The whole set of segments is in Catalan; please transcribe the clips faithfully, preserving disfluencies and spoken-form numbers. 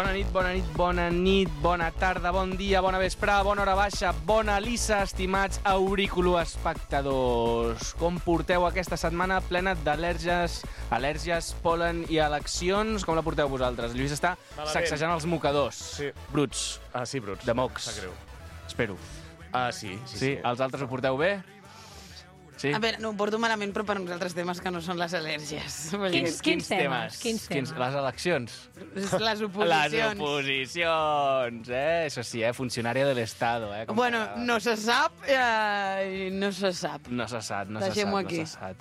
Bona nit, bona nit, bona nit, bona tarda, bon dia, bona vesprada, bona hora baixa, bona lissa, estimats auriculoespectadors. Com porteu aquesta setmana plena d'al·lèrgies, al·lèrgies, pol·len i eleccions? Com la porteu vosaltres? El Lluís està Malament. sacsejant els mocadors. Sí. Bruts. Ah, sí, bruts. De mocs. Sap greu. Espero. Ah, sí, sí, Sí? sí. Els altres ho porteu bé? Sí? A veure, no ho porto malament, però per uns altres temes que no són les al·lèrgies. Vull dir, Quins, quins temes? Quins temes? Les eleccions. les Les oposicions. oposicions, eh? Això sí, eh? Funcionària de l'Estado, eh? Com Bueno, que- no se sap, eh, no se sap. No se sap, no se sap, Deixem-ho no aquí. se sap.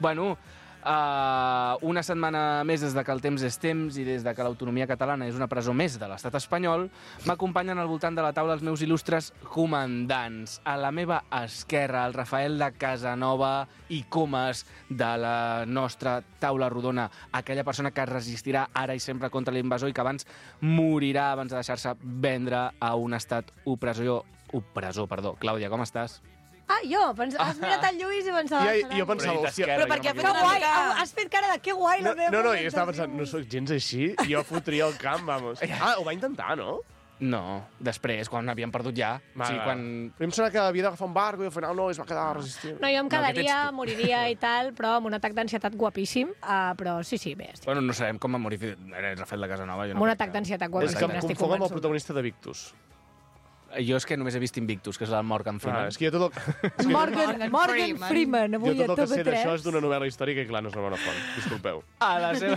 Bueno, uh, una setmana més des de que el temps és temps i des de que l'autonomia catalana és una presó més de l'estat espanyol, m'acompanyen al voltant de la taula els meus il·lustres comandants. A la meva esquerra, el Rafael de Casanova i Comas de la nostra taula rodona, aquella persona que es resistirà ara i sempre contra l'invasor i que abans morirà abans de deixar-se vendre a un estat opressor. Opressor, perdó. Clàudia, com estàs? Ah, jo, pens... has mirat el Lluís i pensava... Ja, serà- jo pensava, Però hòstia... Però per què ha Que fet una guai, mica- has fet cara de que guai No, la meva no, no, jo estava presentació. pensant, no sóc gens així, jo fotria el camp, vamos. Ah, ho va intentar, no? No, després, quan havíem perdut ja. Va, o sigui, va. quan... Però em sembla que havia d'agafar un barco i al final no, es va quedar resistent. No, jo em No, aquest ets quedaria, tu. moriria i tal, però amb un atac d'ansietat guapíssim. Uh, però sí, sí, bé, estic... Bueno, no sabem com va morir Fidel- era Rafael de Casanova. Jo amb no un crec atac que- d'ansietat És guapíssim, que em n'estic confogo amb el convençut. protagonista de Victus. Jo és que només he vist Invictus, que és el Morgan Freeman. Ah, és que jo tot el, és que Morgan, Morgan Morgan Freeman. Freeman, jo avui tot a el que sé T V d'això tres. és d'una novel·la històrica i clar, no és una bona font. Disculpeu. A la seva...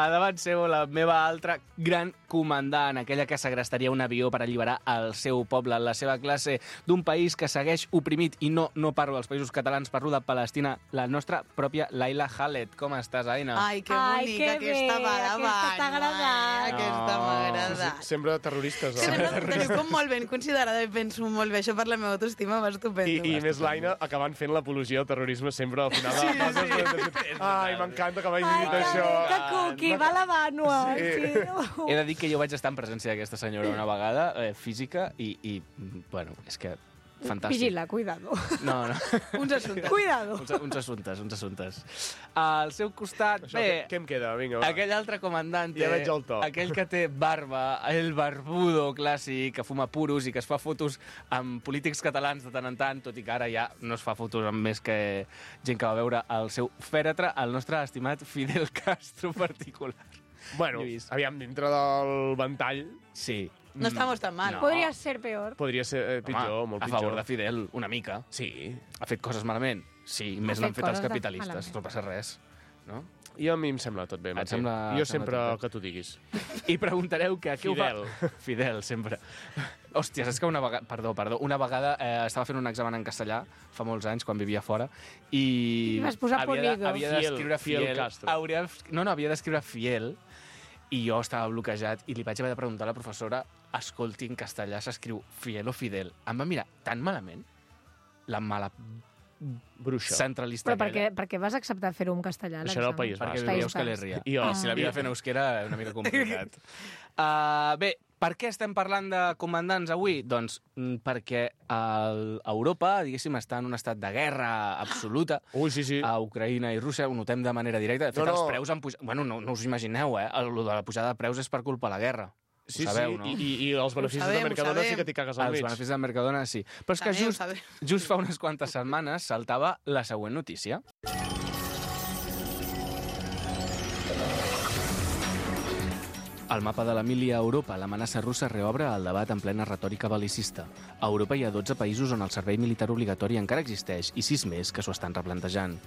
a davant seu, la meva altra gran comandant, aquella que segrestaria un avió per alliberar el seu poble, la seva classe, d'un país que segueix oprimit, i no, no parlo dels països catalans, parlo de Palestina, la nostra pròpia Laila Khaled. Com estàs, Aina? Ai, que Ai, bonica, que aquesta bé, va aquesta davant. t'ha agradat. ai, Aquesta No. m'ha agradat. Sempre terroristes. Que No? teniu, teniu com molt ben considerada i penso molt bé. Això per la meva autoestima va I, estupendo. I més l'Aina acabant fent l'apologia al terrorisme sempre al final de les sí, sí. Ai, m'encanta que vagis Ai, dit que això. bé, que cuqui, va la vànua. Sí. Sí. He de dir que jo vaig estar en presència d'aquesta senyora una vegada, eh, física, i, i, bueno, és que fantàstic. Vigila, cuidado. No, no. Uns assumptes. Cuidado. uns, uns assumptes, uns assumptes. Al seu costat, Això, bé... què, què em queda? Vinga, va. Aquell altre comandante, Ja veig el to. aquell que té barba, el barbudo clàssic, que fuma puros i que es fa fotos amb polítics catalans de tant en tant, tot i que ara ja no es fa fotos amb més que gent que va veure el seu fèretre, el nostre estimat Fidel Castro particular. Bueno, Lluís. aviam, dintre del ventall Sí. No estamos tan mal. No. Podria ser peor. podria ser eh, pitjor, Home, molt a pitjor. favor de Fidel, una mica. Sí. Ha fet coses malament? Sí, més fet l'han fet els coses de- capitalistes, malament. no passa res. No? I a mi em sembla tot bé, Et Martí. sembla- Jo et sembla sempre tot bé? que tu diguis. I preguntareu que què ho Fidel. fa... Fidel, sempre. Hòstia, saps que una vegada... Perdó, perdó. Una vegada eh, estava fent un examen en castellà, fa molts anys, quan vivia fora, i... I vas posar havia de- Polido. Havia Fiel, d'escriure Fiel Fiel. Castro. Hauria... No, no, havia d'escriure Fiel, i jo estava bloquejat, i li vaig haver de preguntar a la professora, escolti, en castellà s'escriu Fiel o Fidel. Em va mirar tan malament, la mala Bruixa. centralista Però perquè, aquella, perquè vas acceptar fer-ho en castellà, Això era el l'examen? País perquè Basc. vivia a País Euskal Basc. Herria. I jo- I si l'havia de fer en euskera, una mica complicat. uh, bé, per què estem parlant de comandants avui? Doncs mm, perquè el, Europa, diguéssim, està en un estat de guerra absoluta. Ui, sí, sí. A Ucraïna i Rússia, ho notem de manera directa. De fet, No, no. els preus han pujat... Bueno, no, no us imagineu, eh? El, lo de la pujada de preus és per culpa de la guerra. Sí, ho sabeu, sí, no? i, i, i els beneficis sabem, de ho Mercadona sabem. sí que t'hi cagues al Els mig. beneficis de Mercadona, sí. Però és que Sabeu, just, sabeu. just fa unes quantes setmanes saltava la següent notícia. Al mapa de l'Emília a Europa, l'amenaça russa reobre el debat en plena retòrica bel·licista. A Europa hi ha dotze països on el servei militar obligatori encara existeix i sis més que s'ho estan replantejant.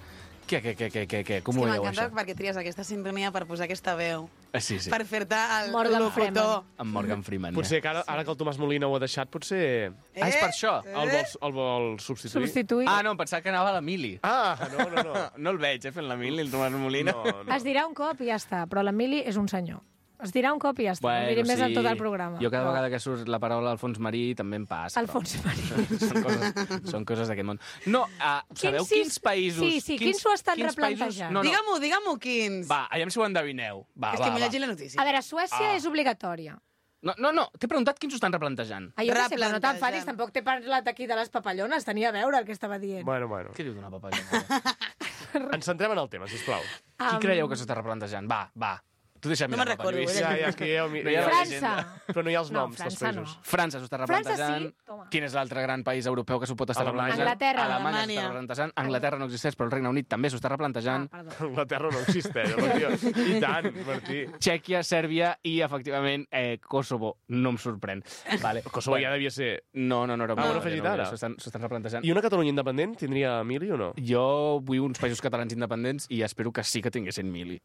Què, què, què, què, què, què? Com És ho que veieu, m'encanta això? perquè tries aquesta sintonia per posar aquesta veu. Eh, Sí, sí, Per fer-te el Morgan locutor. amb Morgan Freeman. Potser que ara, ara que el Tomàs Molina ho ha deixat, potser Ah, és per això? el vol, el vol substituir. Substituir. Ah, no, em pensava que anava a l'Emili. Ah, no, no, no. No el veig, eh, fent l'Emili, el Tomàs Molina. no, no. Es dirà un cop i ja està, però l'Emili és un senyor. Es dirà un cop i ja està, no diré més en tot el programa. Jo cada però- vegada que surt la paraula Alfons Marí també em passa. Alfons però- Marí. són coses, són coses d'aquest món. No, uh, sabeu sis- quins països... Sí, sí, quins s'ho estan quins replantejant? països- No, no. Digue-m'ho, digue-m'ho quins. Va, aviam si ho endevineu. Va, És va, que m'he va. llegit la notícia. A veure, Suècia Ah. és obligatòria. No, no, no, t'he preguntat quins ho estan replantejant. Ah, jo no sé, però no Replantejant. t'enfadis, tampoc t'he parlat aquí de les papallones, tenia a veure el que estava dient. Bueno, bueno. Què diu d'una papallona? Ens centrem en el tema, sisplau. Qui creieu que s'està replantejant? Va, va. Tu deixa'm No mirar me'n el mapa, recordo, Lluís. eh? Ja, ja, és que ja... No hi ha França. Però no hi ha els No, noms dels França no. països. França s'ho està replantejant. França sí, toma. Quin és l'altre gran país europeu que s'ho pot estar Alemanya. replantejant? Anglaterra. Alemanya s'ho Alemanya. està replantejant. Anglaterra no existeix, però el Regne Unit també s'ho està replantejant. Ah, perdó. Anglaterra no existeix, Martí. I tant, Martí. Txèquia, Sèrbia i, efectivament, eh, Kosovo. No em sorprèn. Vale. Kosovo ja devia ser... No, no, no era Ah, ho han una afegit no, ara? S'ho estan, s'ho estan replantejant. I una Catalunya independent tindria mili o no? Jo vull uns països catalans independents i espero que sí que tinguessin mili.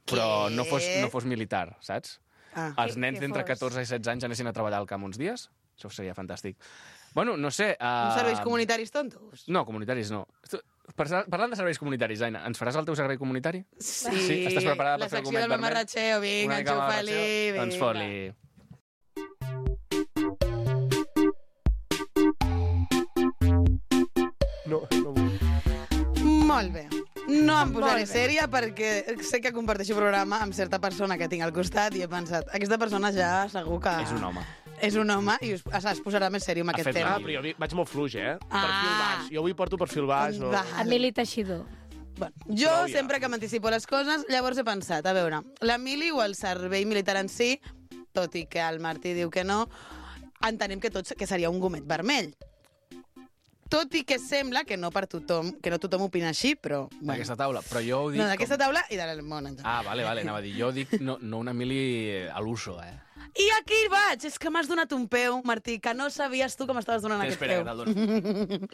Però no fos, no fos militar, saps? Ah. Els Que- nens que d'entre fos. catorze i setze anys anessin a treballar al camp uns dies? Això seria fantàstic. Bueno, no sé... Uh... Uns serveis comunitaris tontos? No, comunitaris no. Tu- parla- Parlant de serveis comunitaris, Aina, ens faràs el teu servei comunitari? Sí. Sí? Estàs preparada per la fer el secció gomet del vermell? mamarratxeo, vinga, Una mica enxufa-li, mamarratxeo? vinga. Doncs fot-li. No, no vull. Molt bé. No em posaré Molt bé. sèria perquè sé que comparteixo programa amb certa persona que tinc al costat i he pensat, aquesta persona ja segur que... És un home. És un home i es, es posarà més sèrio amb Ha aquest fet tema. Ah, però jo vi- vaig molt fluix, eh? Ah. Perfil baix. Jo avui porto perfil baix, no? Va. Emili Teixidor. Bueno, jo Prou ja. sempre que m'anticipo les coses, llavors he pensat, a veure, la mili o el servei militar en si, tot i que el Martí diu que no, entenem que tots que seria un gomet vermell. Tot i que sembla que no per tothom, que no tothom opina així, però... Bueno. D'aquesta taula. Però jo ho dic... No, d'aquesta com... taula i del món en general. Ah, vale, vale, anava a dir. Jo dic no, no una mili a l'uso, eh? I aquí vaig! És que m'has donat un peu, Martí, que no sabies tu que m'estaves donant aquest Espera, peu. que te'l dono.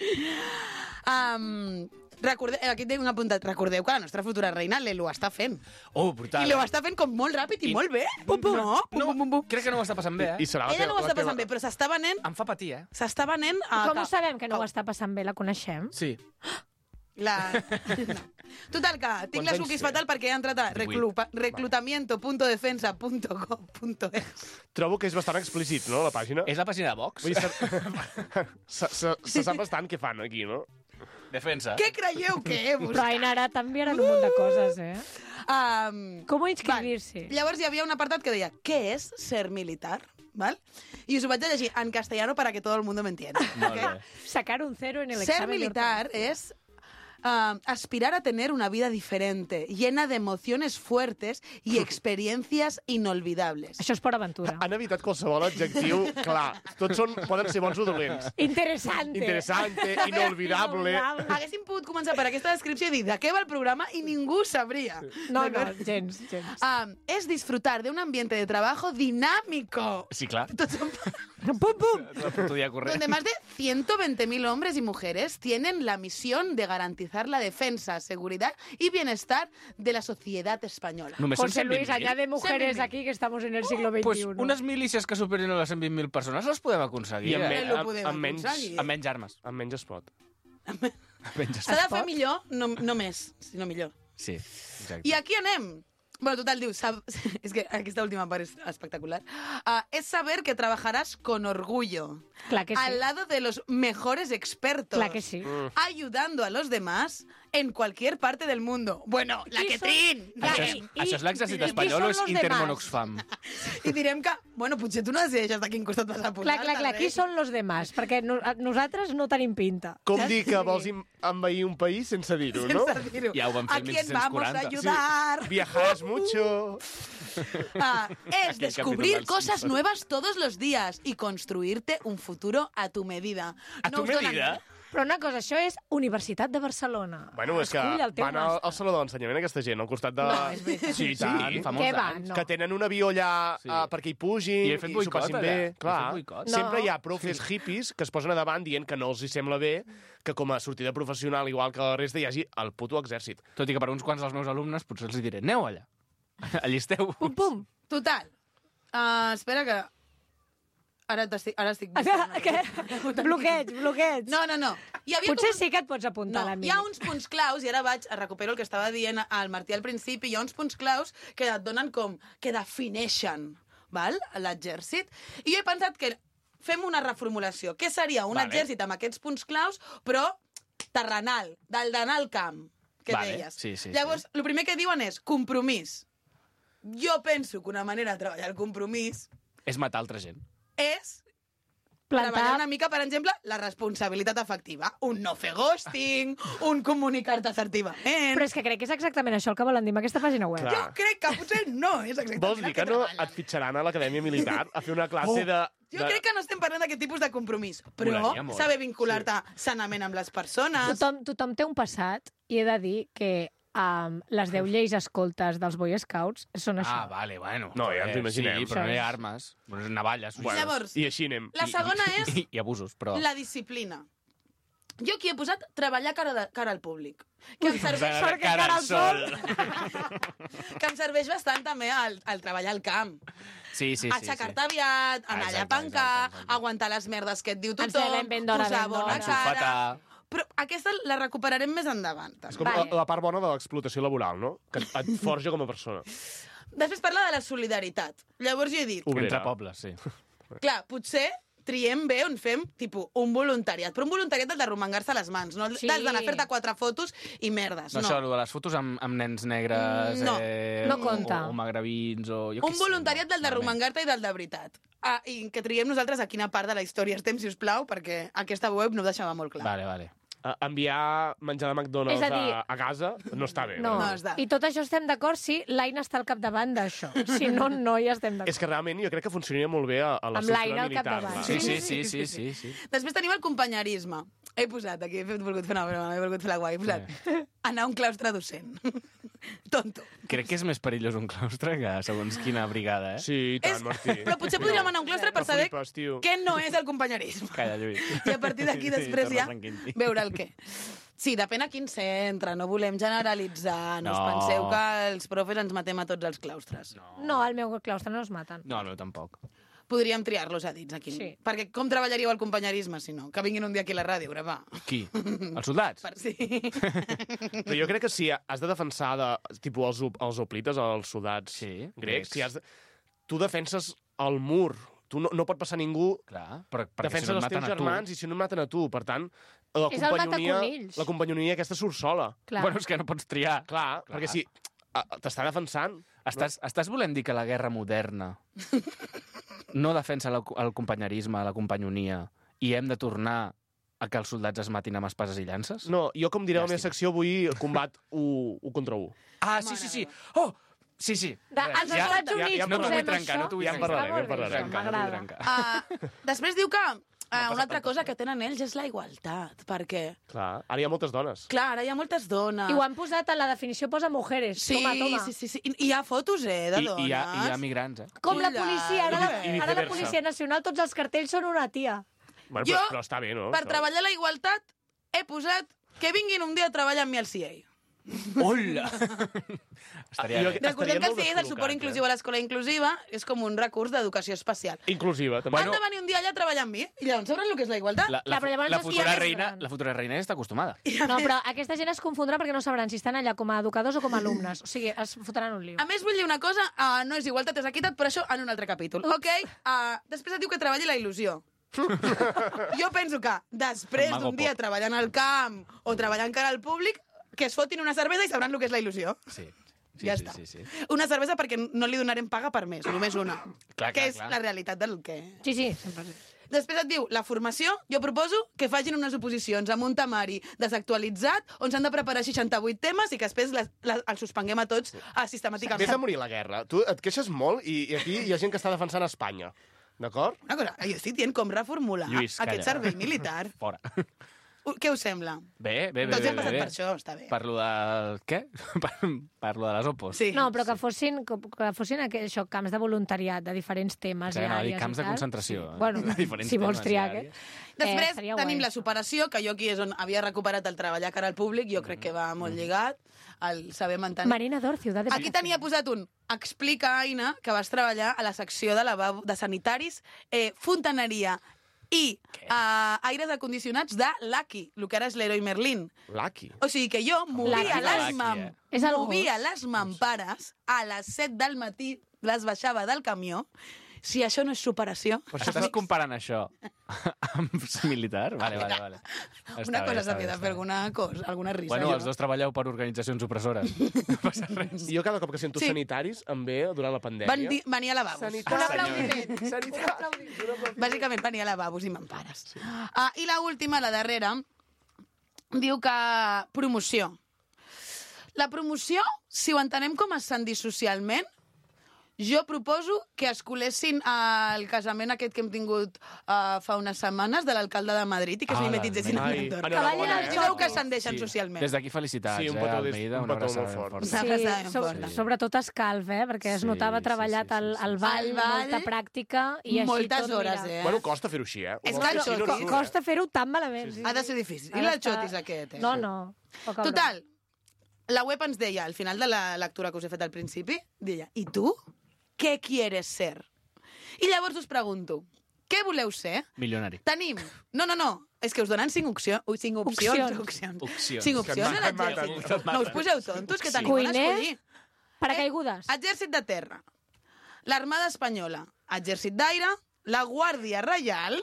um, recorde... Aquí tinc un apuntat. Recordeu que la nostra futura reina l'Elo està fent. Oh, brutal. I l'ho està fent com molt ràpid i, I- molt bé. Pum, pum. No, pum, No, pum, pum, pum. crec que no ho està passant bé, eh? I serà la Ella teva- no ho està la passant teva- bé, però s'està venent... Em fa patir, eh? S'està venent... A... Com ho sabem que no ho està passant bé? La coneixem? Sí. La... No. Total, que tinc Quants les anys cookies té? fatal perquè he entrat a reclupa... reclutamiento punto defensa punto gov punto es. Trobo que és bastant explícit, no, la pàgina? És la pàgina de Vox? Vull dir, se, se, se, se sap bastant què fan aquí, no? Defensa. Què creieu que he Però buscat? Aina, ara t'enviaran un munt de coses, eh? Um, Com inscribir-se? Val. Llavors hi havia un apartat que deia ¿qué es ser militar? ¿Val? Y us ho vaig a llegir en castellano para que todo el mundo me entienda. Molt ¿ok? bé. Sacar un cero en el Ser examen. de militar es uh, aspirar a tener una vida diferente, llena de emociones fuertes y experiencias inolvidables. Això és per aventura. Han evitat qualsevol adjectiu, clar. Tots són, poden ser bons o dolents. Interessante. Interessante, inolvidable. Haguéssim pogut començar per aquesta descripció i dir de què va el programa i ningú sabria. No, no, D'acord? gens, gens. Um, es disfrutar de un ambiente de trabajo dinámico. Sí, clar. Tots són... Pum, pum. Tu dia corrent. Donde más de ciento veinte mil hombres y mujeres tienen la misión de garantizar la defensa, seguridad y bienestar de la sociedad española. Només són José cent Luis, vint mil? añade mujeres cent vint mil. aquí que estamos en el siglo veintiuno. Pues unes milícies que superin a les cent vint mil persones les podem aconseguir, I amb, eh? me, lo amb, podem amb, menys, aconseguir. Amb menys armes. amb menys es pot. Amb menys S'ha de fer pot? millor, no, no més, sinó millor. Sí, exacte. I aquí anem. Bueno, total, diu, sab... és que aquesta última part és espectacular. Uh, es saber que trabajarás con orgullo. Clar que sí. Al lado de los mejores expertos. Clar que sí. Ayudando a los demás en cualquier parte del mundo. Bueno, la Qui que són? trin! La Això que... és, això és l'exèrcit I qui espanyol són o és los Intermonoxfam? I direm que, bueno, potser tu no decideixes de quin costat vas a posar. Clar, clar, clar, qui són los demás? Perquè no, a- nosaltres no tenim pinta. Com dir que vols im- envair un país sense dir-ho, no? Sense dir-ho. Ja ho van fer ¿A el quién vamos a mil sis-cents ayudar? Viajarás mucho. Ah, es Aquel descubrir capítulo del cosas Simpson. nuevas todos los días y construirte un futuro a tu medida. A tu us donen- medida? Però una cosa, això és Universitat de Barcelona. Bueno, és que Escull el teu van al, màster. al Saló de l'Ensenyament aquesta gent, al costat de... No, és veritat. Sí, i tant. Sí, fa molts Què va? anys. No. Que tenen un avió allà Sí. uh, perquè hi pugin I he fet s'ho boicot, passin allà. bé. He fet Clar, boicot. sempre No. hi ha profes hippies que es posen a davant dient que no els hi sembla bé que com a sortida professional, igual que la resta, hi hagi el puto exèrcit. Tot i que per uns quants dels meus alumnes potser els diré, aneu allà. Allisteu. Pum, pum. Total. Uh, espera que... Ara, t'estic, ara estic... Què? Bloqueig, bloqueig. No, no, no. Hi havia Potser com... sí que et pots apuntar No, a la hi ha uns punts claus, i ara vaig a recupero el que estava dient al Martí al principi, hi ha uns punts claus que et donen com... que defineixen, val?, l'exèrcit. I jo he pensat que fem una reformulació. Què seria un Vale. exèrcit amb aquests punts claus, però terrenal, del d'anar al camp, que Vale, deies. sí, sí, Llavors, el primer que diuen és compromís. Jo penso que una manera de treballar el compromís És matar altra gent. és Plantar... treballar una mica, per exemple, la responsabilitat afectiva. Un no fer ghosting, un comunicar-te assertivament... Però és que crec que és exactament això el que volen dir amb aquesta pàgina web. Clar. Jo crec que potser no és exactament Vols dir el que que no treballen. et fitxaran a l'Acadèmia Militar a fer una classe de... Jo crec que no estem parlant d'aquest tipus de compromís, però Molaria molt. saber vincular-te sanament amb les persones... Tothom, tothom té un passat i he de dir que um, les deu lleis escoltes dels Boy Scouts són això. Ah, vale, bueno. No, ja ens ho imaginem. Sí, però no hi ha armes. Bueno, navalles. Bueno, Llavors, I així anem. La segona I, és i, i abusos, però... la disciplina. Jo aquí he posat treballar cara, de, cara al públic. Que em serveix, Cara, cara al sol. que em serveix bastant també al, al treballar al camp. Sí, sí, sí. Aixecar-te aviat, anar allà a Exacte, pancar, exacte, exacte. aguantar les merdes que et diu Ens tothom, llevem ben d'hora, posar ben bona d'hora. cara... Ensofetar. Però aquesta la recuperarem més endavant. És com Vale. la, la part bona de l'explotació laboral, no? Que et, et forja com a persona. Després parla de la solidaritat. Llavors jo he dit, Obrera. Entre pobles, sí. clar, potser triem bé on fem, tipus, un voluntariat. Però un voluntariat del de romangar-se les mans, no Sí. del d'anar a fer-te quatre fotos i merdes. No, No, això, allò de les fotos amb, amb nens negres... Mm, no. eh, No compta. O, o magrebins, o... Jo què Un sé, voluntariat no, del de realment. romangar-te i del de veritat. Ah, i que triem nosaltres a quina part de la història estem, si us plau, perquè aquesta web no ho deixava molt clar. Vale, vale. Uh, enviar menjar de McDonald's És a dir- a, a casa no està bé. No. No està. I tot això estem d'acord si l'Aina està al capdavant d'això. Si no, no hi estem d'acord. És que realment jo crec que funcionaria molt bé a, a la Amb estructura l'Aina al militar. capdavant. va. Sí, sí, sí, sí, sí, sí. Després tenim el companyerisme. He posat aquí, he fet- volgut fer una broma, he volgut fer la guai. He posat anar a un claustre docent. Tonto. Crec que és més perillós un claustre que segons quina brigada, eh? Sí, i tant, És... Martí. Però potser podríem anar a un claustre per No saber flipes, tio. què no és el companyerisme. Calla, Lluís. I a partir d'aquí després Sí, ja torna tranquil. veure el què. Sí, depèn a quin centre, no volem generalitzar, no, no. us No. penseu que els profes ens matem a tots els claustres. No. No, al meu claustre no es maten. No, no, tampoc. Podríem triar-los a dits aquí. Sí. Perquè com treballaríeu el companyerisme, si no? Que vinguin un dia aquí a la ràdio a gravar. Qui? Els soldats? Per sí. Però jo crec que si has de defensar de, tipus, els, op- els oplites, els soldats Sí, grecs, grecs. si has de, tu defenses el mur. Tu no, no pot passar ningú. Clar, però, perquè Defenses si no et els teus maten a tu... germans i si no et maten a tu. Per tant, la És el companyonia, mataconills. la companyonia aquesta surt sola. Clar. Bueno, és que no pots triar. Clar, Clar. perquè si a- t'està defensant... Estàs, estàs volent dir que la guerra moderna no defensa la, el companyerisme, la companyonia, i hem de tornar a que els soldats es matin amb espases i llances? No, jo, com diré a la meva Llàstima. secció, vull combat u, u contra u. Ah, sí, sí, sí. Oh, sí, sí. De, Res, als Estats Units ja no t'ho vull posem trencar, això. no t'ho vull Ja en trencar. parlarem, ja en Està molt bé, parlarem. això, No t'ho vull m'agrada. trencar. Uh, després diu que uh, una altra cosa que tenen ells és la igualtat, perquè, Clar, ara hi ha moltes dones. clar, ara hi ha moltes dones. I ho han posat a la definició, posa mujeres. Sí, Toma, toma. sí, sí, sí. I hi ha fotos, eh, de I, dones. i, hi ha, I hi ha migrants, eh? Com la Quina- policia, ara, la, I- i ara la viceversa. Policia Nacional, tots els cartells són una tia. Bueno, Jo, però, però està bé, no? Per Això. treballar la igualtat, he posat que vinguin un dia a treballar amb mi al C I A. Hola! Estaria jo- bé. Recordem que el molt C I A és el suport descol·locats, inclusiu a l'escola inclusiva, és com un recurs d'educació especial. Inclusiva, també. Han de venir un dia allà a treballar amb mi, i llavors sabran el que és la igualtat. La, la, Clar, però llavors la, es futura fiaven reina, gran. la futura reina ja està acostumada. No, però aquesta gent es confondrà perquè no sabran si estan allà com a educadors o com a alumnes. O sigui, es fotran un lío. A més, vull dir una cosa, uh, no és igualtat, és equitat, però això en un altre capítol. Ok? Uh, després et diu que treballi la il·lusió. Jo penso que després El mago d'un dia pop. treballant al camp o treballant cara al públic, que es fotin una cervesa i sabran el que és la il·lusió. Sí. Sí, ja sí, està. sí, sí. Una cervesa perquè no li donarem paga per mes, només una. Clar, que clar, és clar. la realitat del que... Sí, sí, sempre. Després et diu, la formació, jo proposo que facin unes oposicions amb un temari desactualitzat, on s'han de preparar seixanta-vuit temes i que després les, les, els suspenguem a tots ah, sistemàticament. Vés a morir la guerra. Tu et queixes molt i, i aquí hi ha gent que està defensant Espanya. D'acord? Una cosa, jo estic dient com reformular Lluís, calla. aquest servei militar. Fora. Uh, Què us sembla? Bé, bé, bé. Tots bé, hem passat bé. per això, està bé. Parlo del... Què? Parlo de les opos. Sí. No, però que fossin, que que fossin aqu- això, camps de voluntariat de diferents temes Clar, i anava a dir àrees camps i de tal. concentració, Sí. eh? Bueno, De diferents si vols temes i triar àrees. aquest. Després eh, seria tenim guai. la superació, que jo aquí és on havia recuperat el treballar cara al públic, jo crec que va molt lligat, el saber mantenir... Marina Dor, Ciutat de Aquí tenia posat un explica, Aina, que vas treballar a la secció de lavabo, de sanitaris, eh, fontaneria i uh, aires acondicionats de Lucky, el que ara és l'Heroi Merlin. Lucky. O sigui que jo movia Lucky, les, Lucky, mam eh? És el movia gos. les mampares a les set del matí, les baixava del camió Si això no és superació... Per això estàs comparant això amb militar? Vale, vale, vale. Està Una bé, cosa està s'havia bé, de està fer, bé. alguna cosa, alguna risa. Bueno, jo. els dos treballeu per organitzacions opressores. No passa res. Jo cada cop que sento Sí. sanitaris em ve durant la pandèmia. Van dir, venir a lavabos. Sanitari. Un aplaudiment. Sanitari. Bàsicament venir a lavabos i m'empares. Sí. Uh, I la última, la darrera, diu que promoció. La promoció, si ho entenem com a ascendir socialment, jo proposo que es colessin al casament aquest que hem tingut uh, fa unes setmanes de l'alcalde de Madrid i que es Ah, mimetitzessin a Ai, Benidorm. enhorabona, ballin el eh? I veu que ascendeixen socialment. Des d'aquí felicitats, Sí, un eh, petó des- Almeida, un una petó abraçada molt ben fort. forta. Una abraçada ben Sí, so, forta. sobretot escalf, eh? Perquè es Sí, notava sí, treballat sí, sí, el, sí. el ball, El ball, molta pràctica, i així moltes tot, hores, mira. eh? Bueno, costa fer-ho així, eh? És Ho que vam fer això així, no co- surt, Co eh? costa fer-ho tan malament. Sí, Ha de ser difícil. I Ha el d'estar- xotis aquest, eh? No, no. Poca broma. Total, la web ens deia, al final de la lectura que us he fet al principi, deia, i tu? Què quieres ser? I llavors us pregunto, què voleu ser? Milionari. Tenim... No, no, no. És que us donen cinc, opció... Ui, cinc opcions. Opcions. opcions. Opcions. Cinc Que opcions et a maten, l'exèrcit. et No us poseu tontos, que tenim on Cuiner? escollir. Paracaigudes. Exèrcit de terra, l'Armada Espanyola, Exèrcit d'Aire, la Guàrdia Reial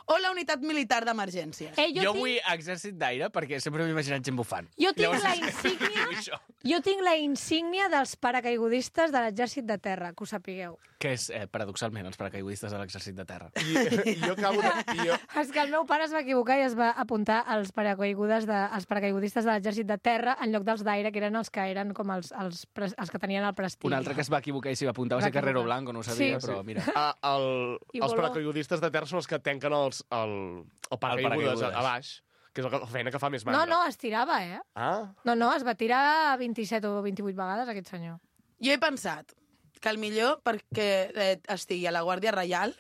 o la Unitat Militar d'Emergències. Eh, Jo, jo, jo tinc, vull exèrcit d'aire perquè sempre m'he imaginat gent bufant. jo tinc Llavors, la insígnia... vull això. Jo tinc la insígnia dels paracaigudistes de l'exèrcit de terra, que ho sapigueu. Que és, eh, paradoxalment, els paracaigudistes de l'exèrcit de terra. I, jo acabo de... I jo, És que el meu pare es va equivocar i es va apuntar als paracaigudes de, als paracaigudistes de l'exèrcit de terra en lloc dels d'aire, que eren els que eren com els, els, pres- els que tenien el prestigi. Un altre que es va equivocar i s'hi va apuntar va Va ser Carrero equivocar. Blanco, no ho sabia, Sí. però mira. a, el, I els voló. paracaigudistes de terra són els que tanquen els, el, el paracaigudes a, paracaigudes. a baix, que és la feina que fa més No, mandra. no, es tirava, eh? Ah, No, no, es va tirar vint-i-set o vint-i-vuit vegades, aquest senyor. Jo he pensat que el millor perquè eh, estigui a la Guàrdia Reial,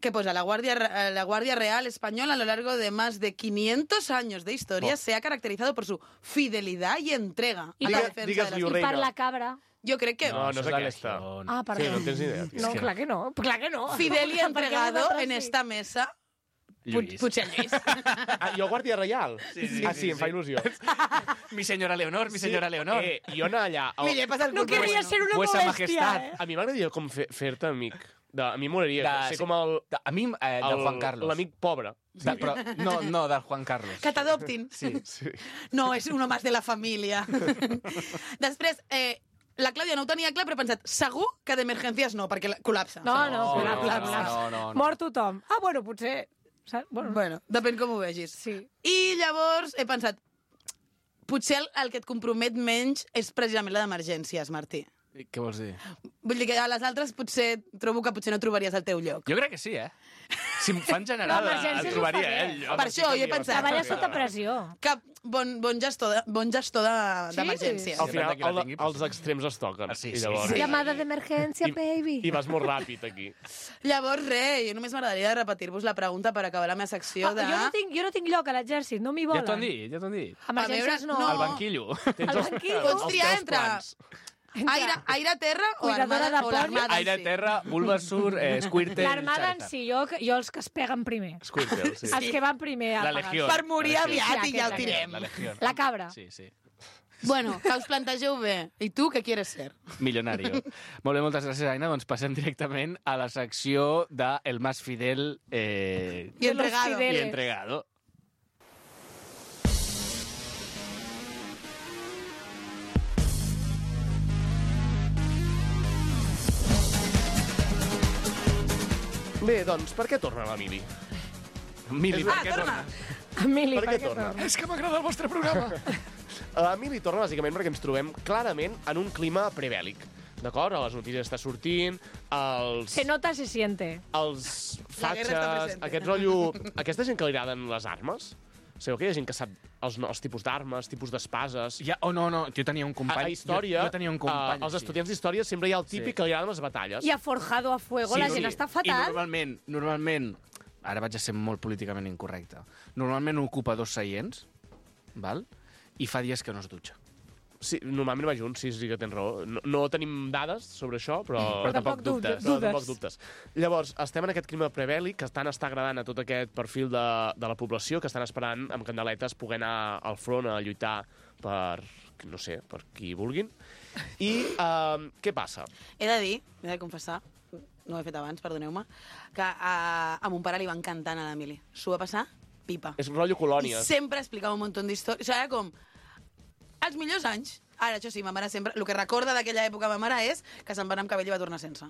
que posa la Guardia, Re- la Guardia Real Española a lo largo de más de quinientos años de historia Oh. se ha caracterizado por su fidelidad y entrega I a la per- defensa digues-li de ho, las... Reina. I per la cabra. Jo crec que No, no és això de aquesta. Legión. Ah, perdó. sí, no tens ni idea. No, tio. clar que no, clar que no. fidel y Perquè entregado nosaltres en sí. esta mesa, Lluís. potser Lluís. Ah, jo Guàrdia Reial? Sí, sí, ah, sí, sí, em fa sí. il·lusió. Mi senyora Leonor, mi senyora Leonor. Eh, jo anar allà... Mira, he El... passat No culpa. querria ser una Vuesa molèstia, majestat. eh? A mi m'agradaria com fer- fer-te amic. De, a mi m'agradaria De- ser com el... De- A mi, eh, del el- Juan Carlos. L'amic pobre. De, però, no, no, del Juan Carlos. Que t'adoptin. Sí. Sí. No, és uno más de la família. Després, eh, la Clàudia no ho tenia clar, però he pensat, segur que d'emergències no, perquè la- col·lapsa. No, no, No, clar, no, clar, no, clar. no, no, no. Mort tothom. Ah, bueno, potser... Saps? Bueno, Bueno, depèn com ho vegis. sí. I llavors he pensat, potser el, el que et compromet menys és precisament la d'emergències, Martí. Què vols dir? Vull dir que a les altres potser trobo que potser no trobaries el teu lloc. Jo crec que sí, eh? Si em fan general, L'emergència el us trobaria, ho fa eh? bé. el lloc. Per això jo he pensat... Treballa sota pressió. Que bon, bon gestor de- bon gestor de- Sí? d'emergències. Al final, Depèn de qui la el, tingui, però els sí. extrems es toquen. Ah, sí, I sí, llavors... sí. Llamada d'emergència, baby. I vas molt ràpid, aquí. Llavors, res, jo només m'agradaria repetir-vos la pregunta per acabar la meva secció Ah, de... jo, no tinc, jo no tinc lloc a l'exèrcit, no m'hi volen. Ja t'ho han dit, ja t'ho han dit. Emergències A veure, no. no. El banquillo. Tens El els- banquillo. els Pots triar teus entre- plans. Aire, aire, terra o Cuidadora armada de o poli. l'armada en Aire, si? terra, Bulbasaur, eh, Squirtle... L'armada en Charizard. si, jo, jo els que es peguen primer. Squirtle, sí. Els que van primer a La pagar. Legió. Per morir La Legió. aviat Sí, i ja ho aquesta, tirem. La Legió. La cabra. Sí, sí. Bueno, que us plantegeu bé. I tu què quieres ser? Millonario. Molt bé, moltes gràcies, Aina. Doncs passem directament a la secció de El Más Fidel eh, I De los entregado. y fideles. Entregado. Bé, doncs, per què torna l'Emili? Mili, Ah, per què torna. tornes? Emili, Per per què què torna? torna? És que m'agrada el vostre programa. L'Emili torna bàsicament perquè ens trobem clarament en un clima prebèl·lic. D'acord? A les notícies està sortint, els... Se nota, se siente. els La guerra està fatxes, presente. aquest rotllo... Aquesta gent que li agraden les armes, sabeu que hi ha gent que sap els, no- els tipus d'armes, tipus d'espases... Ja, oh, no, no, jo tenia un A, company. a història, Jo, jo tenia un company. a, als sí. estudiants d'història sempre hi ha el típic Sí. que li agraden les batalles. I ha forjado a fuego, Sí, la sí. gent està I fatal. normalment, normalment, ara vaig a ser molt políticament incorrecte, normalment ocupa dos seients, val? I fa dies que no es dutxa. Sí, normalment va junts, sí, sí que tens raó. No, no tenim dades sobre això, però... Però tampoc dubtes. No, tampoc dubtes. Llavors, estem en aquest clima prebèl·lic que tant està agradant a tot aquest perfil de, de la població que estan esperant amb candeletes poder anar al front a lluitar per, no sé, per qui vulguin. I uh, què passa? He de dir, he de confessar, no ho he fet abans, perdoneu-me, que a, a mon pare li va encantar anar a l'Emili. S'ho va passar pipa. És rotllo I colònies. sempre explicava un munt d'històries. O sigui, era com... Els millors anys. Ara, això sí, ma mare sempre... El que recorda d'aquella època ma mare és que se'n va anar amb cabell i va tornar sense.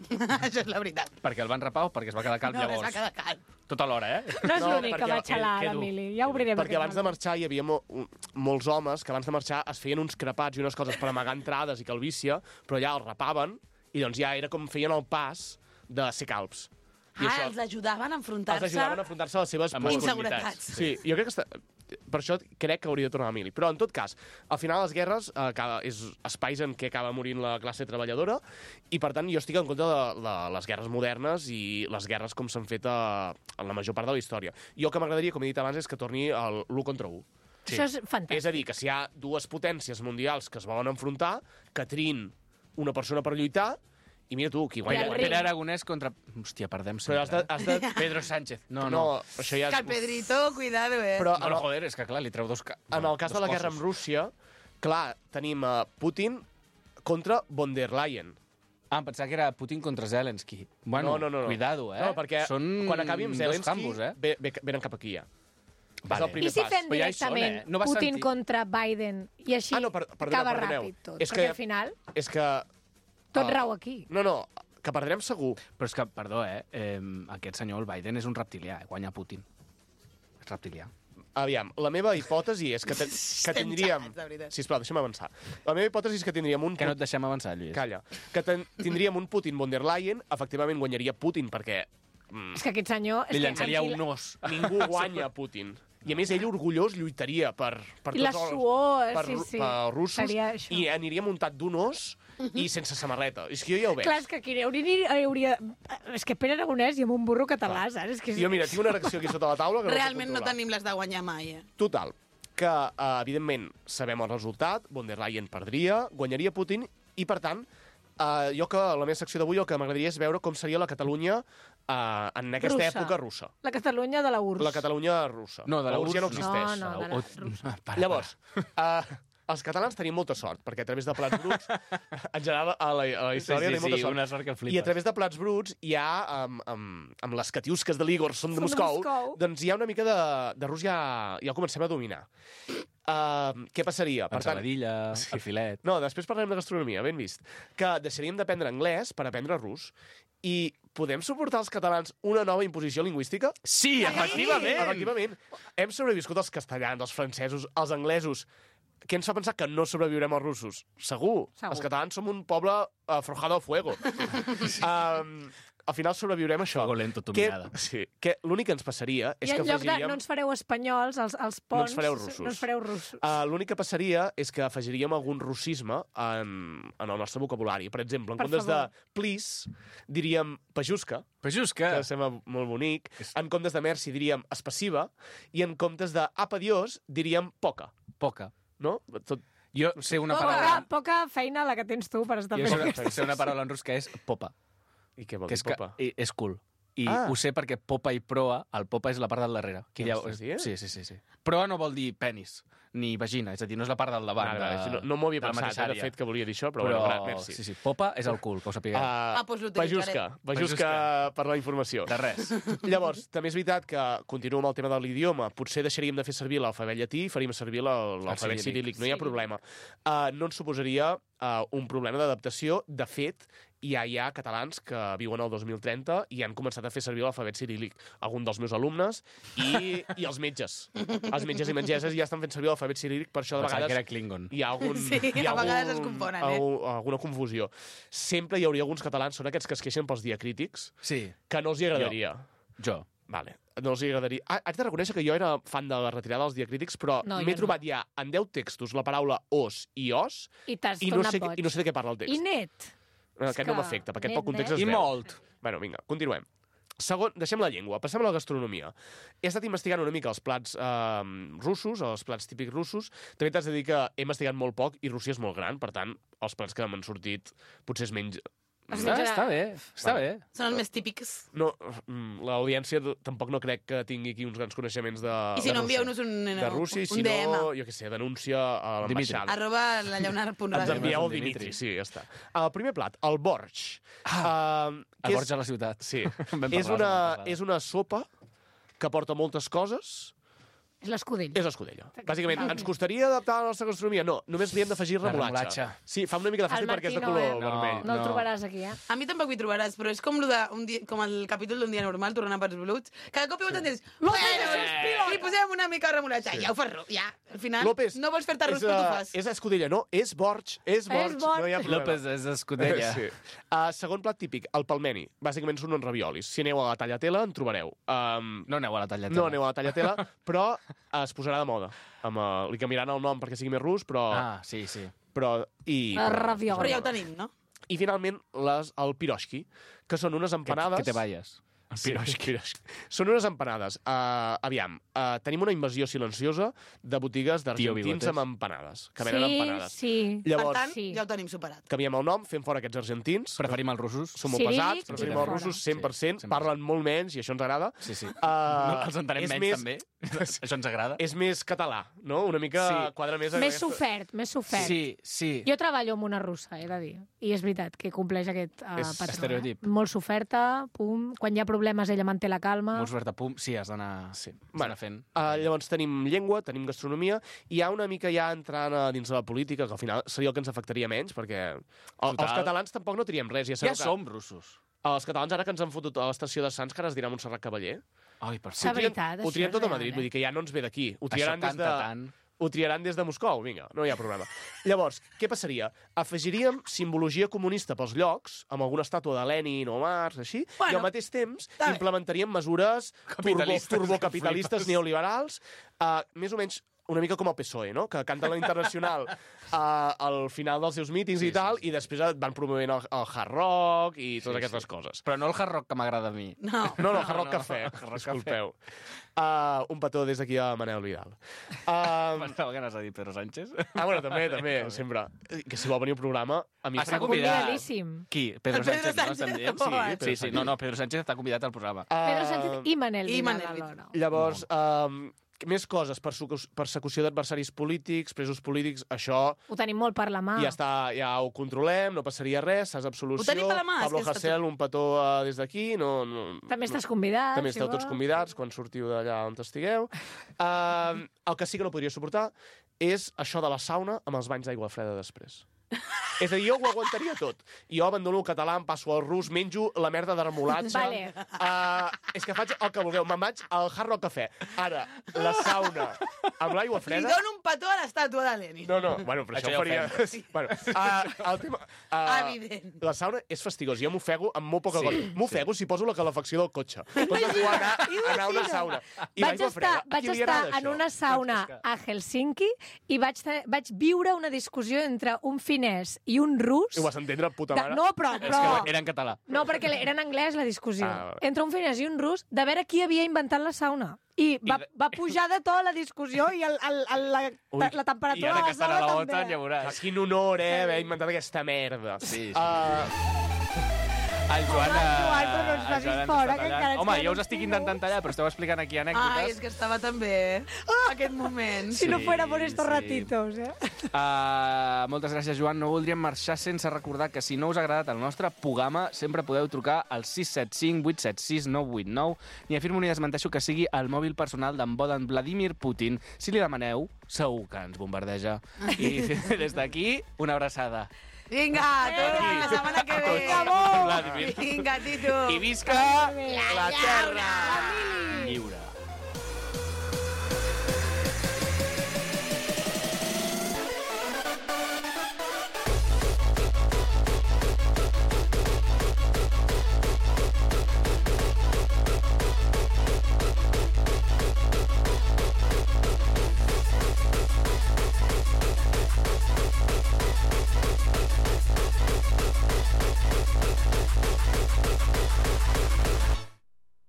Això és la veritat. Perquè el van rapar o perquè es va quedar calp No, que es llavors? va quedar calp. Tot alhora, eh? No és No, l'únic que perquè- va xalar que- que dur. l'Emili. Ja obrirem Perquè aquest abans de meló. marxar hi havia mo molts homes que abans de marxar es feien uns crepats i unes coses per amagar entrades i calvícia, però ja els rapaven i doncs ja era com feien el pas de ser calbs. I Ah, els ajudaven a els enfrontar-se ajudaven a enfrontar-se a les seves Amb pors. inseguretats. Sí, jo crec que està... Per això crec que hauria de tornar a Emili. Però, en tot cas, al final les guerres eh, acaba, és espais en què acaba morint la classe treballadora i, per tant, jo estic en contra de, de les guerres modernes i les guerres com s'han fet a, en la major part de la història. Jo el que m'agradaria, com he dit abans, és que torni l'u contra u. Sí. Això és fantàstic. És a dir, que si hi ha dues potències mundials que es volen enfrontar, que triïn una persona per lluitar, i mira tu, qui I guanya... el guanya. ring. Pere Aragonès contra... Hòstia, perdem Però has sempre. de, has de... eh? Pedro Sánchez. No, No, no. això ja Que és... el Pedrito, cuidado, eh? Però Bueno, en el, joder, és que clar, li treu dos... Ca... en el cas de la guerra amb Rússia, clar, tenim uh, Putin contra von der Leyen. Ah, em pensava que era Putin contra Zelensky. Bueno, no, no, no, no. cuidado, eh? No, perquè Són quan acabi amb Zelensky, dos jambos, eh? ve, ve, venen cap aquí ja. Vale. És el primer I si pas. fem Però ja hi són, directament eh? No va Putin sentir. contra Biden i així Ah, no, per- perdoneu, acaba perdoneu. ràpid tot? És Perquè que- al final És que... tot Ah. rau aquí. No, no, que perdrem segur. Però és que, perdó, eh? eh aquest senyor, el Biden, és un reptilià, eh? Guanya Putin. És reptilià. Aviam, la meva hipòtesi és que, ten, que Estem tindríem... xalats, de veritat. Sisplau, deixa'm avançar. La meva hipòtesi és que tindríem un... Que no et deixem avançar, Lluís. Calla. Que ten, tindríem un Putin von der Leyen, efectivament guanyaria Putin, perquè mm, És que aquest senyor... Li és que llançaria aquí- un os. ningú guanya Putin. I a més, ell orgullós lluitaria per, per I la tots els suor, per, sí, sí. per russos Seria això. i aniria muntat d'un os i sense samarreta. És que jo ja ho veig. Clar, és que aquí hauria... hauria... És que Pere Aragonès i amb un burro català, saps? És que és... Jo, mira, tinc una reacció aquí sota la taula que Realment no no puc controlar. tenim les de guanyar mai, eh? Total, que, uh, evidentment, sabem el resultat, von der Leyen perdria, guanyaria Putin, i, per tant, uh, jo que a la meva secció d'avui el que m'agradaria és veure com seria la Catalunya uh, en aquesta Russa. època russa. La Catalunya de la U R S. La Catalunya russa. No, de la Rússia no U R S no. existeix. No, no, de la- O- Para, Llavors, uh, els catalans tenim molta sort, perquè a través de plats bruts, en general, a la, a la història sí, tenim molta sí, sort. una sort que flipes. I a través de plats bruts hi ha, amb, amb, amb les catiusques de l'Igor són de Són de Moscou, Moscou. doncs hi ha una mica de, de rus ja, ja el comencem a dominar. Uh, què passaria? Per tant, Ensaladilla, el filet... no, després parlem de gastronomia, ben vist. Que deixaríem d'aprendre anglès per aprendre rus. I podem suportar els catalans una nova imposició lingüística? Sí, efectivament! Efectivament. Hem sobreviscut els castellans, els francesos, els anglesos. Què ens fa pensar que no sobreviurem als russos? Segur. Segur. Els catalans som un poble uh, forjado a fuego. um, al final sobreviurem a això. Fuego lento, tu que, mirada. sí, que l'únic que ens passaria és I que en lloc de afegiríem... no ens fareu espanyols, els, els No ponts... ens fareu russos. No ens fareu russos. Uh, L'únic que passaria és que afegiríem algun russisme en, en el nostre vocabulari. Per exemple, en Per comptes favor. de please, diríem pajuska, Però just que... que sembla molt bonic. En comptes de merci diríem espassiva. I en comptes de apa dios diríem poca. Poca. No? Tot... Jo sé una Poca, paraula... poca feina la que tens tu per estar Jo sé fent. una, sé una paraula en rus que és popa. I què vol Que dir és, que, popa? i- és cool. I Ah. ho sé perquè popa i proa, el popa és la part del darrere. Que Què ja, m'estàs dient? sí, sí, sí, sí. Proa no vol dir penis, ni vagina, és a dir, no és la part del davant. Vale, vale, de, sí, no no m'ho havia de la pensat, mateixa eh, de àrea. fet, que volia dir això, però, Però, bueno, gra- merci. sí, sí, popa és el cul, que ho sapigueu. Uh, Ah, doncs l'utilitzaré. Pajuska, Pajuska per la informació. De res. Llavors, també és veritat que, continuo amb el tema de l'idioma, potser deixaríem de fer servir l'alfabet llatí i faríem servir la- l'alfabet ciríl·lic. ciríl·lic, no hi ha problema. Uh, no ens suposaria uh, un problema d'adaptació. De fet, ja hi ha catalans que viuen al dos mil trenta i han començat a fer servir l'alfabet ciríl·lic. Algun dels meus alumnes i, i els metges. Els metges i metgesses ja estan fent servir l'alfabet ciríl·lic, per això de Pensava que vegades era Klingon. hi ha algun... Sí, hi ha a vegades algun- es confonen, eh? algun- alguna confusió. Sempre hi hauria alguns catalans, són aquests que es queixen pels diacrítics, Sí, que no els hi agradaria. jo. Vale, no els hi agradaria. Ah, haig de reconèixer que jo era fan de la retirada dels diacrítics, però No, m'he jo no. trobat ja en deu textos la paraula os i os I t'has i no, tornat sé, boig. i no sé de què parla el text. I net. Eh, Aquest és no que m'afecta, perquè net, pel context net. es I veu. molt. Bueno, vinga, continuem. Segon, deixem la llengua, passem a la gastronomia. He estat investigant una mica els plats eh, russos, els plats típics russos. També t'has de dir que he investigat molt poc i Rússia és molt gran, per tant, els plats que m'han sortit potser es menys... O Ah, està bé, està bé. Són els més típics. No, mm, l'audiència d- tampoc no crec que tingui aquí uns grans coneixements de, I si de no, Rússia. envieu-nos un, de Rússia, i un si D M. no, jo què sé, denúncia a l'ambaixada. Arroba la lleonard punt Ens ràdio. envieu el Dimitri. Dimitri, sí, ja està. El primer plat, el borsch. Ah, uh, El Borja a la ciutat. Sí. Vam parlar és, la una, setmana passada. és una sopa que porta moltes coses. És l'escudell. És l'escudella. Bàsicament, ens costaria adaptar a la nostra gastronomia? No, només li hem d'afegir La remolatge. remolatge. Sí, fa una mica de fàstic El perquè és de Martí no, color eh? vermell. No el No. trobaràs aquí, eh? A mi tampoc hi trobaràs, però és com, lo de un dia, com el capítol d'un dia normal, tornant pels bruts. Cada cop i volta dius, bueno, li posem una mica de remolatge. Ja ho fas, ro- ja. Al final, López, no vols fer-te arròs, és, però eh, t'ho fas. És escudella, no? És borsch, és borsch. borsch. No hi ha problema. López és escudella. Sí. Uh, segon plat típic, el palmeni. Bàsicament són uns raviolis. Si aneu a la Tallatela, en trobareu. Um, No aneu a la tallatela. no aneu a la Tallatela, però es posarà de moda. Amb, uh, li canviaran el nom perquè sigui més rus, però... Ah, sí, sí. però i, El ravioli. Però ja ho tenim, no? I finalment, les, el piroshki, que són unes Que, empanades... que te vayas. Sí, piroshki. Són unes empanades. Uh, aviam, uh, tenim una invasió silenciosa de botigues Tio d'argentins Bigotes. amb empanades, que venen Sí, empanades. sí. Llavors, Per tant, sí. ja ho tenim superat. canviem el nom, fem fora aquests argentins. Preferim els russos. Són molt Sí, pesats, que preferim queda els fora. russos cent per cent, Sí, cent per cent. parlen molt menys i això ens agrada. Sí, sí. Uh, No, els entenem és menys, més, també. Això ens agrada. És més català, no? Una mica Sí. quadra més... a Més aquesta- sofert, més sofert. Sí, sí. Jo treballo amb una russa, he de dir. I és veritat que compleix aquest uh, És patró. estereotip. Eh? Molt soferta, pum. Quan hi ha problemes ella manté la calma. Molt suert a pum. Sí, has d'anar Sí. has Bueno, d'anar fent. Uh, llavors tenim llengua, tenim gastronomia, i hi ha una mica ja entrant a dins de la política, que al final seria el que ens afectaria menys, perquè el, Total. els catalans tampoc no triem res. Ja, Ja sabeu que som russos. Els catalans, ara que ens han fotut a l'estació de Sants, que ara es dirà Montserrat Cavaller, Ai, per S'ha favor. trien, veritat, ho això trien és tot a real, Madrid, eh? vull dir que ja no ens ve d'aquí. Ho Això triaran des canta de... tant. Ho triaran des de Moscou, vinga, no hi ha problema. Llavors, què passaria? Afegiríem simbologia comunista pels llocs, amb alguna estàtua de Lenin o Marx, així, Bueno, i al mateix temps està bé. implementaríem mesures turbo, Capitalistes, turbocapitalistes flipes. neoliberals, uh, més o menys una mica com el P S O E, no? Que canta la Internacional uh, al final dels seus mítings Sí, i tal, sí, sí. i després et van promovent el, el hard rock i totes Sí, aquestes sí. coses. Però no el hard rock que m'agrada a mi. No. No, no, hard rock no, cafè, hard rock disculpeu. Uh, un petó des d'aquí a Manel Vidal. Uh, Pensava que anaves a dir Pedro Sánchez. ah, bueno, també, també, sempre. Que si vol venir al programa, a mi... Està Està convidat. convidadíssim. Qui? Pedro El Pedro Sánchez, no Sánchez. estem dient? Oh, Sí, Pedro sí, sí. No, Sánchez. no, Pedro Sánchez està convidat al programa. Pedro Sánchez i Manel I Vidal Manel alhora. Llavors, um, més coses, persecu- persecució d'adversaris polítics, presos polítics, això Ho tenim molt per la mà. ja està, ja ho controlem, no passaria res, saps absolució. Ho tenim per la mà, és Pablo que està Hasél, un petó uh, des d'aquí, no, no, També estàs convidat. També si esteu tots vols. convidats quan sortiu d'allà on estigueu. Uh, el que sí que no podria suportar és això de la sauna amb els banys d'aigua freda després. És a dir, jo ho aguantaria tot. Jo abandono el català, em passo al rus, menjo la merda de remolatge. Vale. Uh, és que faig el que vulgueu. Me'n vaig al Hard Rock Cafè. Ara, la sauna amb l'aigua Li freda... dono un petó a l'estàtua de Lenin. No, no, bueno, però Això això, ja ho faria... Sí. Bueno, uh, el tema... Uh, Evident. La sauna és fastigós. Jo m'ofego amb molt poca sí, cosa. M'ofego sí. si poso la calefacció del cotxe. Compte tu anar, anar a una sauna. I Vaig l'aigua estar, freda. A vaig qui li estar agrada en això? una sauna a Helsinki i vaig, te- vaig viure una discussió entre un finès i un rus. I ho vas entendre, puta De, mare? no, però... És però... que era en català. No, perquè era en anglès la discussió. Ah, vale. Entre un finès i un rus, de veure qui havia inventat la sauna. I va, I de- va pujar de to la discussió i el, el, el, la, Ui, la temperatura I ara de que la estan a sala la també. OTAN, ja veuràs. Ah, quin honor, eh, haver inventat aquesta merda. Sí, sí. Uh, El Joan... Home, eh, Joan, però no ens el facis Joan ens fora, està que tallant. encara ens Home, queden jo us uns estic minuts. intentant tallar, però esteu explicant aquí anècdotes. Ai, és que estava també aquest moment. Si no Sí, fuera por estos sí. ratitos, eh? Uh, moltes gràcies, Joan. No voldríem marxar sense recordar que si no us ha agradat el nostre programa, sempre podeu trucar al sis set cinc vuit set sis nou vuit nou ni afirmo ni desmenteixo que sigui el mòbil personal d'en Bodan Vladimir Putin. Si li demaneu, segur que ens bombardeja. I des d'aquí, una abraçada. Vinga, torna la setmana que ve. Vinga, Vladimir. Vinga, Tito. I visca la terra lliure.